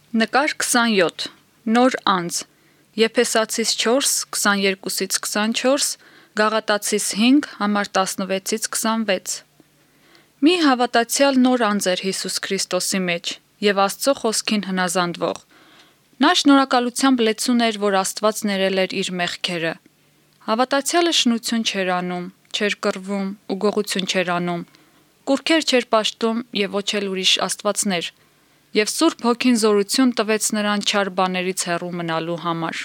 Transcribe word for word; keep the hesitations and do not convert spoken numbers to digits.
Նկար քսանյոթ Նոր անձ Եփեսացիս չորս քսաներկուից քսանչորս Գաղատացիս հինգ համար տասնվեցից քսանվեց Մի հավատացյալ նոր անձ էր Հիսուս Քրիստոսի մեջ եւ Աստծո խոսքին հնազանդվող Նա շնորհակալությամբ լեցուն էր, որ Աստված ներել էր իր մեղքերը Հավատացյալը շնություն չէր անում, չէր կռվում ու գողություն չէր անում Կուռքեր չէր պաշտում եւ ոչ էլ ուրիշ աստվածներ Եվ Սուրբ Հոգին զորություն տվեց նրան չար բաներից հեռու մնալու համար։